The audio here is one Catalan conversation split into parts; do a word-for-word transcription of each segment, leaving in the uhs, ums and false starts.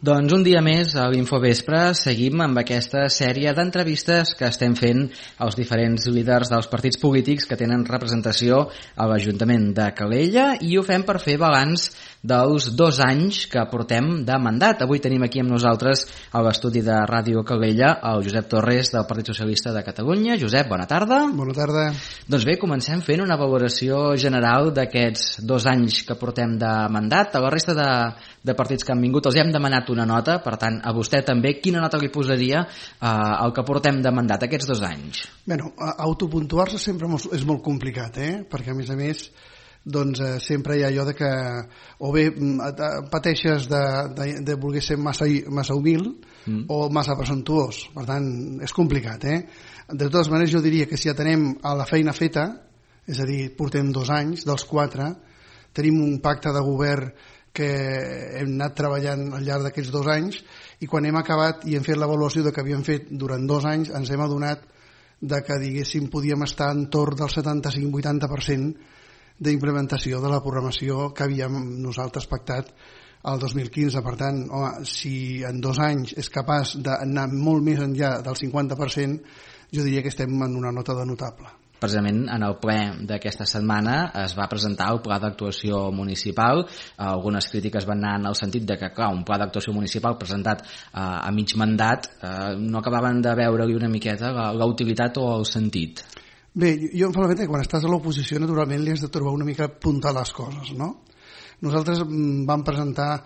Doncs un dia més a l'Infovespre seguim amb aquesta sèrie d'entrevistes que estem fent als diferents líders dels partits polítics que tenen representació a l'Ajuntament de Calella, i ho fem per fer balanç dels dos anys que portem de mandat. Avui tenim aquí amb nosaltres a l'estudi de Ràdio Calella el Josep Torres del Partit Socialista de Catalunya. Josep, bona tarda. Bona tarda. Doncs bé, comencem fent una valoració general d'aquests dos anys que portem de mandat. A la resta de, de partits que han vingut els hem demanat una nota, per tant, a vostè també, quina nota li posaria eh, al que portem de mandat aquests dos anys? Bueno, autopuntuar-se sempre és molt complicat, eh? Perquè a més a més doncs eh, sempre hi ha allò de que o bé pateixes de, de, de voler ser massa, massa humil mm. o massa presumptuós, per tant és complicat, eh? De totes maneres jo diria que si atenem a la feina feta, és a dir, portem dos anys dels quatre, tenim un pacte de govern que hem anat treballant al llarg d'aquests dos anys, i quan hem acabat i hem fet l'avaluació de que havíem fet durant dos anys ens hem adonat de que diguéssim podíem estar entorn del setanta-cinc vuitanta per cent d'implementació de la programació que havíem nosaltres pactat el dos mil quinze. Per tant, home, si en dos anys és capaç d'anar molt més enllà del cinquanta per cent, jo diria que estem en una nota de notable. Precisament en el ple d'aquesta setmana es va presentar el pla d'actuació municipal. Algunes crítiques van anar en el sentit de que, clar, un pla d'actuació municipal presentat eh, a mig mandat eh, no acabaven de veure-li una miqueta la, la utilitat o el sentit. Bé, jo em fa la que quan estàs a l'oposició naturalment li has de trobar una mica puntar les coses, no? Nosaltres vam presentar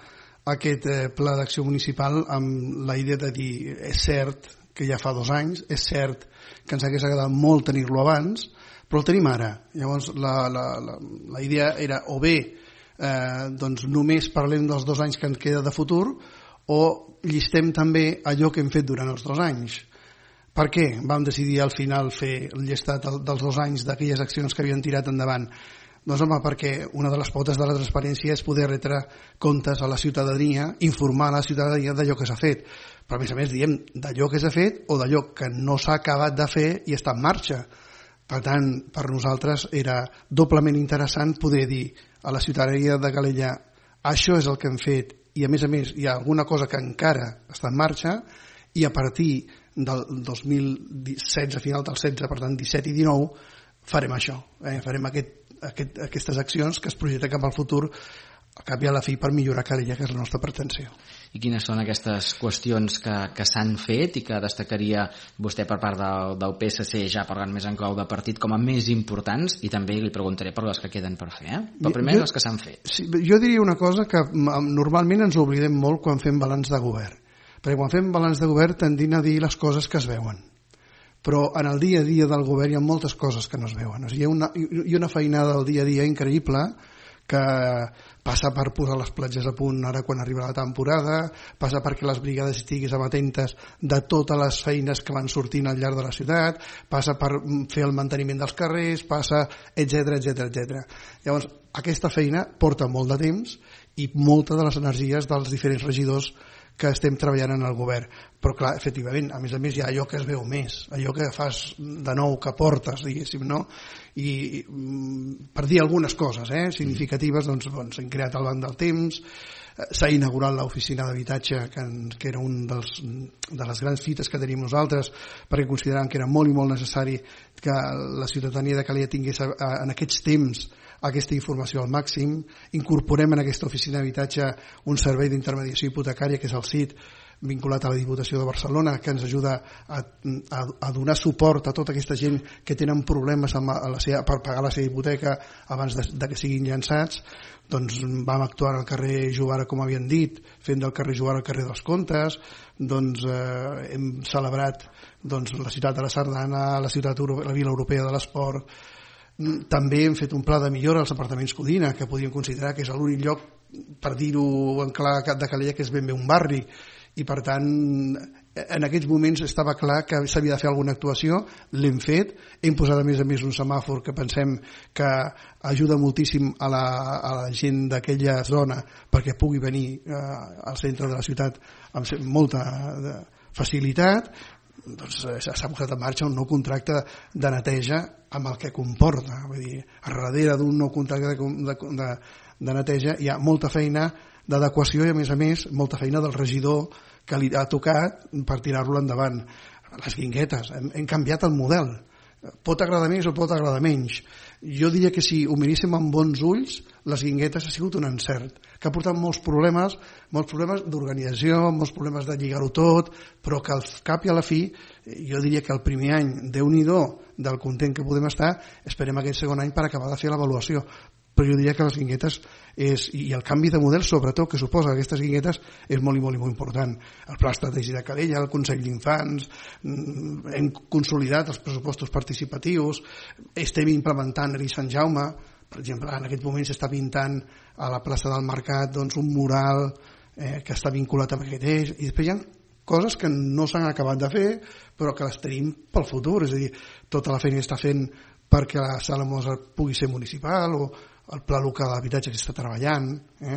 aquest eh, pla d'acció municipal amb la idea de dir, és cert que ja fa dos anys, és cert que ens hagués agradat molt tenir-lo abans, però el tenim ara. Llavors la, la, la, la idea era o bé eh, doncs només parlem dels dos anys que ens queda de futur, o llistem també allò que hem fet durant els dos anys. Per què vam decidir al final fer el llistat dels dos anys d'aquelles accions que havien tirat endavant? Doncs home, perquè una de les potes de la transparència és poder retre comptes a la ciutadania, informar a la ciutadania d'allò que s'ha fet. Però a més a més diem d'allò que s'ha fet o d'allò que no s'ha acabat de fer i està en marxa. Per tant, per nosaltres era doblement interessant poder dir a la ciutadania de Calella això és el que hem fet i a més a més hi ha alguna cosa que encara està en marxa, i a partir del dos mil setze, final del setze, per tant disset i dinou, farem això, eh? farem aquest, aquest, aquestes accions que es projecten cap al futur, al cap i a la fi per millorar Calella, que és la nostra pretensió. I quines són aquestes qüestions que, que s'han fet i que destacaria vostè per part del, del P S C, ja parlant més en clau de partit, com a més importants, i també li preguntaré per les que queden per fer, eh? Però primer jo, les que s'han fet. Sí, jo diria una cosa que normalment ens oblidem molt quan fem balanç de govern, perquè quan fem balanç de govern tendim a dir les coses que es veuen, però en el dia a dia del govern hi ha moltes coses que no es veuen. O sigui, hi ha una, hi ha una feinada del dia a dia increïble que passa per posar les platges a punt ara quan arriba la temporada, passa perquè les brigades estiguin amatentes de totes les feines que van sortint al llarg de la ciutat, passa per fer el manteniment dels carrers, passa, etcètera, etcètera, etcètera. Llavors, aquesta feina porta molt de temps i moltes de les energies dels diferents regidors que estem treballant en el govern. Però clar, efectivament, a més a més hi ha allò que es veu més, allò que fas de nou, que portes, diguéssim, no? I per dir algunes coses eh, significatives, doncs, doncs hem creat el Banc del Temps, s'ha inaugurat l'oficina d'habitatge, que, que era un dels, de les grans fites que tenim nosaltres, perquè consideràvem que era molt i molt necessari que la ciutadania de Calella tingués en aquests temps aquesta informació al màxim. Incorporem en aquesta oficina d'habitatge un servei d'intermediació hipotecària, que és el C I T, vinculat a la Diputació de Barcelona, que ens ajuda a, a, a donar suport a tota aquesta gent que tenen problemes amb la seva, per pagar la seva hipoteca abans de, de que siguin llançats. Doncs vam actuar al carrer Jovara, com havien dit, fent del carrer Jovara el carrer dels Comtes. Doncs eh, hem celebrat doncs, la ciutat de la Sardana, la ciutat la Vila Europea de l'Esport. També hem fet un pla de millora als apartaments Codina, que podríem considerar que és l'únic lloc, per dir-ho en clar, de Calella, que és ben bé un barri, i per tant en aquests moments estava clar que s'havia de fer alguna actuació, l'hem fet, hem posat a més a més un semàfor que pensem que ajuda moltíssim a la, a la gent d'aquella zona perquè pugui venir eh, al centre de la ciutat amb molta facilitat. Doncs s'ha posat en marxa un nou contracte de neteja amb el que comporta. Vull dir, a darrere d'un nou contracte de, de, de, de neteja hi ha molta feina d'adequació i, a més a més, molta feina del regidor que li ha tocat per tirar-lo endavant. Les guinguetes, hem, hem canviat el model. Pot agradar més o pot agradar menys. Jo diria que si ho miréssim amb bons ulls, les guinguetes ha sigut un encert, que ha portat molts problemes, molts problemes d'organització, molts problemes de lligar-ho tot, però que al cap i a la fi, jo diria que el primer any, Déu-n'hi-do, del content que podem estar, esperem aquest segon any per acabar de fer l'avaluació. Però jo diria que les guinguetes és, i el canvi de model sobretot que suposa aquestes guinguetes és molt i molt i molt important. El pla estratègic de Calella, el Consell d'Infants, hem consolidat els pressupostos participatius, estem implementant a Sant Jaume, per exemple, en aquest moment s'està pintant a la plaça del Mercat doncs, un mural eh, que està vinculat amb aquest eix, i després hi ha coses que no s'han acabat de fer però que les tenim pel futur, és a dir, tota la feina que està fent perquè la Sala Mozart pugui ser municipal, o el pla local d'habitatge que està treballant, eh?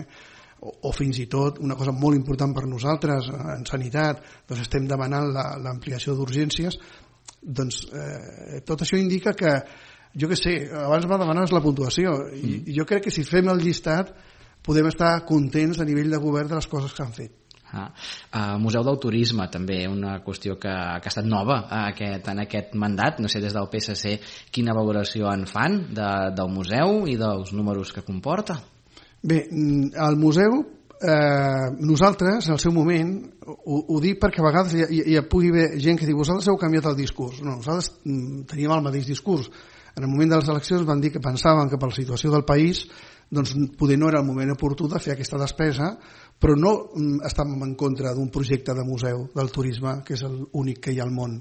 o, o fins i tot una cosa molt important per nosaltres en sanitat, doncs estem demanant l'ampliació d'urgències. Doncs eh, tot això indica que, jo què sé, abans m'ha demanat la puntuació, i, mm. i jo crec que si fem el llistat podem estar contents a nivell de govern de les coses que han fet. Ah, uh, Museu del Turisme també, una qüestió que, que ha estat nova aquest, en aquest mandat. No sé des del P S C quina valoració en fan de, del museu i dels números que comporta. Bé, el museu eh, nosaltres en el seu moment ho, ho dic perquè a vegades hi, hi, hi pugui haver gent que diu vosaltres heu canviat el discurs. No, nosaltres teníem el mateix discurs. En el moment de les eleccions van dir que pensaven que per la situació del país doncs poder no era el moment oportú de fer aquesta despesa, però no estàvem en contra d'un projecte de museu del turisme, que és l'únic que hi ha al món.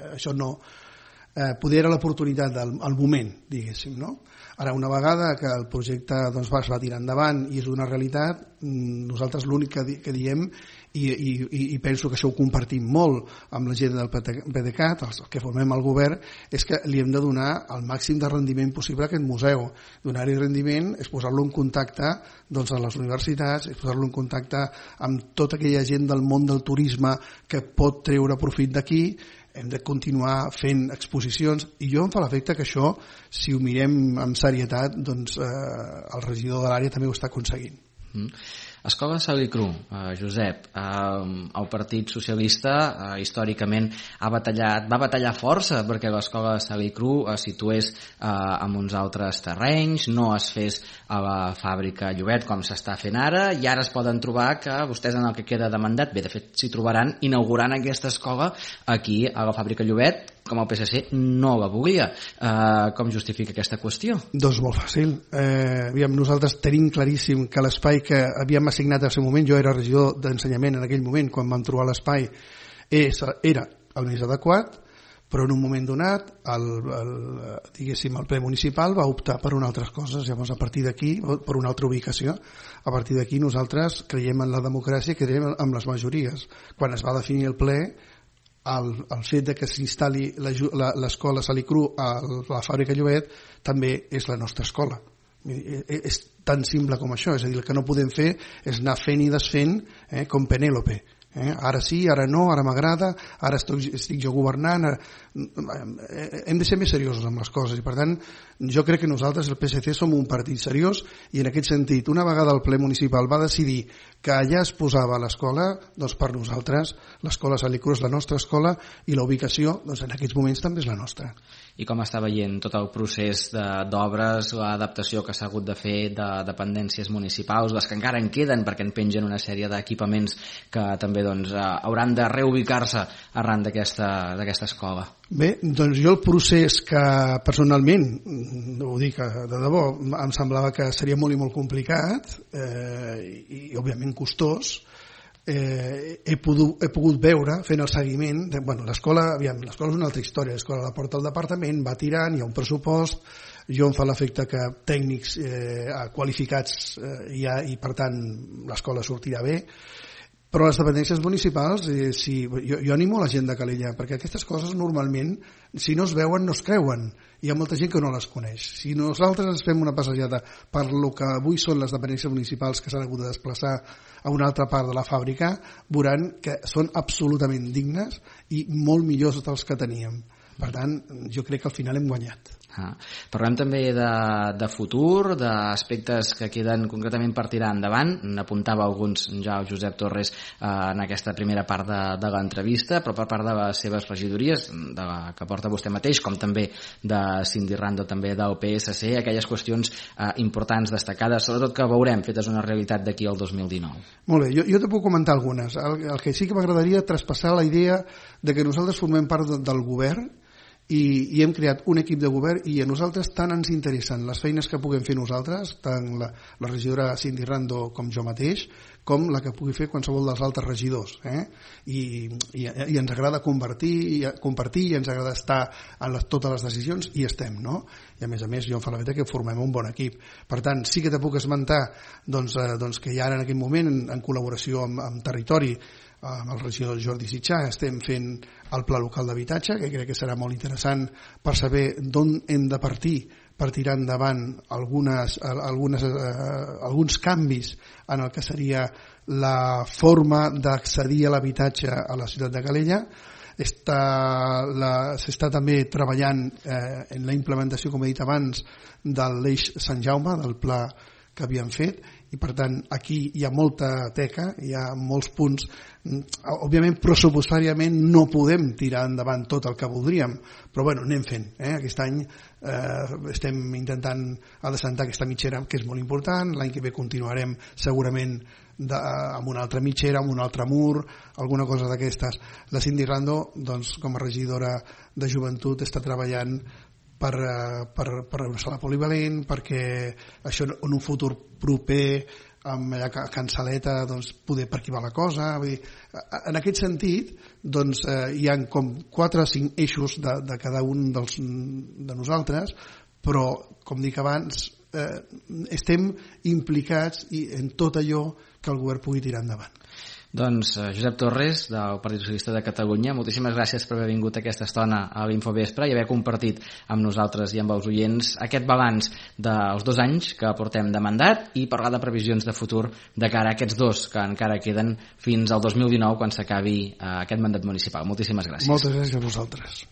Això no. Eh, poder era l'oportunitat del el moment, diguéssim, no? Ara, una vegada que el projecte doncs, va, es va tirar endavant i és una realitat, nosaltres l'únic que, di que diem, i, i, i penso que això ho compartim molt amb la gent del P D cat, els que formem el govern, és que li hem de donar el màxim de rendiment possible a aquest museu. Donar-hi rendiment és posar-lo en contacte doncs, amb les universitats, és posar-lo en contacte amb tota aquella gent del món del turisme que pot treure profit d'aquí. Hem de continuar fent exposicions, i jo em fa l'efecte que això, si ho mirem amb serietat, doncs eh, el regidor de l'àrea també ho està aconseguint. Mm. Escola Salicru, eh, Josep, eh, el Partit Socialista eh, històricament ha batallat, va batallar força perquè l'escola Salicru es situés eh, en uns altres terrenys, no es fes a la fàbrica Llobet com s'està fent ara, i ara es poden trobar que vostès en el que queda de mandat, bé, de fet s'hi trobaran inaugurant aquesta escola aquí a la fàbrica Llobet, com el P S C no la volia. Eh, com justifica aquesta qüestió? Doncs molt fàcil. Eh, aviam, nosaltres tenim claríssim que l'espai que havíem assignat al seu moment, jo era regidor d'ensenyament en aquell moment, quan vam trobar l'espai, era el més adequat, però en un moment donat, el, el, diguéssim, el ple municipal va optar per unes altres coses. Llavors, a partir d'aquí, per una altra ubicació, a partir d'aquí nosaltres creiem en la democràcia i creiem en les majories. Quan es va definir el ple, El, el fet de que s'instal·li l'escola Salicru a la fàbrica Llobet també és la nostra escola. És tan simple com això, és a dir, el que no podem fer és anar fent i desfent eh, com Penèlope. Eh? Ara sí, ara no, ara m'agrada, ara estic, estic jo governant. Ara... Hem de ser més seriosos amb les coses, i per tant jo crec que nosaltres, el P S C, som un partit seriós, i en aquest sentit, una vegada el ple municipal va decidir que allà es posava l'escola, doncs per nosaltres l'escola Salicru és la nostra escola, i la ubicació doncs en aquests moments també és la nostra. I com està veient tot el procés d'obres, l'adaptació que s'ha hagut de fer de dependències municipals, les que encara en queden perquè en pengen una sèrie d'equipaments que també doncs, hauran de reubicar-se arran d'aquesta escola? Bé, doncs jo el procés que personalment, ho dic de debò, em semblava que seria molt i molt complicat eh, i, i òbviament costós, eh, he, pogut, he pogut veure fent el seguiment de, bueno, l'escola, aviam, l'escola és una altra història, l'escola la porta al departament, va tirant, hi ha un pressupost, jo em fa l'efecte que tècnics eh, qualificats eh, hi ha, i per tant l'escola sortirà bé. Però les dependències municipals, eh, si, jo, jo animo la gent de Calella, perquè aquestes coses normalment, si no es veuen, no es creuen. Hi ha molta gent que no les coneix. Si nosaltres ens fem una passejada per lo que avui són les dependències municipals que s'han hagut de desplaçar a una altra part de la fàbrica, veuran que són absolutament dignes i molt millors dels que teníem. Per tant, jo crec que al final hem guanyat. Ah. Parlem també de, de futur, d'aspectes que queden concretament per tirar endavant. N'apuntava alguns ja el Josep Torres eh, en aquesta primera part de, de l'entrevista, però per part de les seves regidories, de la que porta vostè mateix, com també de Cindy Rando, també del P S C, aquelles qüestions eh, importants, destacades, sobretot que veurem fetes una realitat d'aquí al dos mil dinou. Molt bé, jo, jo te puc comentar algunes. El, el que sí que m'agradaria traspassar la idea de que nosaltres formem part de, del govern i, i hem creat un equip de govern i a nosaltres tant ens interessen les feines que puguem fer nosaltres, tant la, la regidora Cindy Rando com jo mateix, com la que pugui fer qualsevol dels altres regidors. Eh? I, i, I ens agrada compartir i, compartir i ens agrada estar en les, totes les decisions i estem, no? I a més a més jo em fa la veritat que formem un bon equip. Per tant, sí que te puc esmentar doncs, eh, doncs que ja ara en aquest moment, en, en col·laboració amb, amb territori, amb el regidor Jordi Sitjà, estem fent el pla local d'habitatge, que crec que serà molt interessant per saber d'on hem de partir per tirar endavant algunes, algunes, eh, alguns canvis en el que seria la forma d'accedir a l'habitatge a la ciutat de Calella. S'està també treballant eh, en la implementació, com he dit abans, de l'eix Sant Jaume, del pla que havíem fet, i per tant aquí hi ha molta teca, hi ha molts punts. Òbviament pressupostàriament no podem tirar endavant tot el que voldríem, però bueno, anem fent, eh? Aquest any eh, estem intentant adreçar aquesta mitgera, que és molt important. L'any que ve continuarem segurament de, amb una altra mitgera, amb un altre mur, alguna cosa d'aquestes. La Cindy Rando, doncs, com a regidora de joventut, està treballant per, per, per una sala polivalent, perquè això en un futur proper amb allà a Can Saleta, doncs, poder per aquí va la cosa. Vull dir, en aquest sentit, doncs, eh, hi ha com quatre o cinc eixos de, de cada un dels, de nosaltres, però, com dic abans, eh, estem implicats i en tot allò que el govern pugui tirar endavant. Doncs Josep Torres, del Partit Socialista de Catalunya, moltíssimes gràcies per haver vingut aquesta estona a l'Infovespre i haver compartit amb nosaltres i amb els oients aquest balanç dels dos anys que portem de mandat i parlar de previsions de futur de cara a aquests dos que encara queden fins al dos mil dinou, quan s'acabi aquest mandat municipal. Moltíssimes gràcies. Moltes gràcies a vosaltres.